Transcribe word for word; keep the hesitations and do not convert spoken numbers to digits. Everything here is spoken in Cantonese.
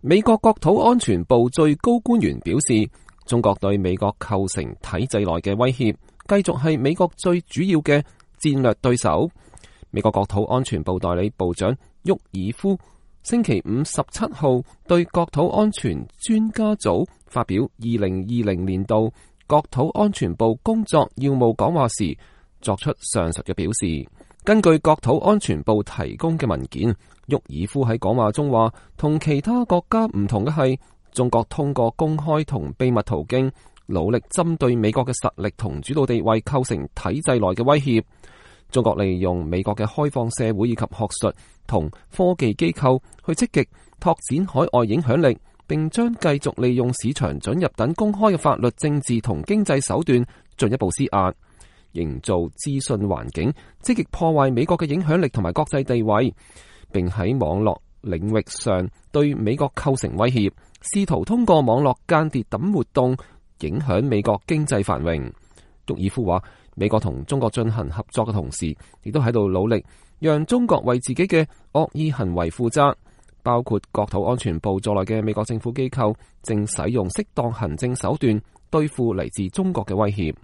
美國國土安全部最高官員表示，中國對美國構成體制內嘅威脅，繼續係美國最主要嘅戰略對手。美國國土安全部代理部長沃爾夫星期五十七號對國土安全專家組發表二零二零年度國土安全部工作要務講話時，作出上述嘅表示。根據國土安全部提供嘅文件，沃爾夫喺講話中話，同其他國家唔同嘅係，中國通過公開同秘密途徑，努力針對美國嘅實力同主導地位構成體制內嘅威脅。中國利用美國嘅開放社會以及學術同科技機構去積極拓展海外影響力，並將繼續利用市場准入等公開嘅法律、政治同經濟手段進一步施壓，營造資訊環境，積極破壞美國嘅影響力同埋國際地位，並喺網絡領域上對美國構成威脅，試圖通過網絡間諜等活動影響美國經濟繁榮。沃爾夫話，美國同中國進行合作嘅同時，亦都喺度努力讓中國為自己嘅惡意行為負責，包括國土安全部在內嘅美國政府機構正使用適當行政手段對付嚟自中國嘅威脅。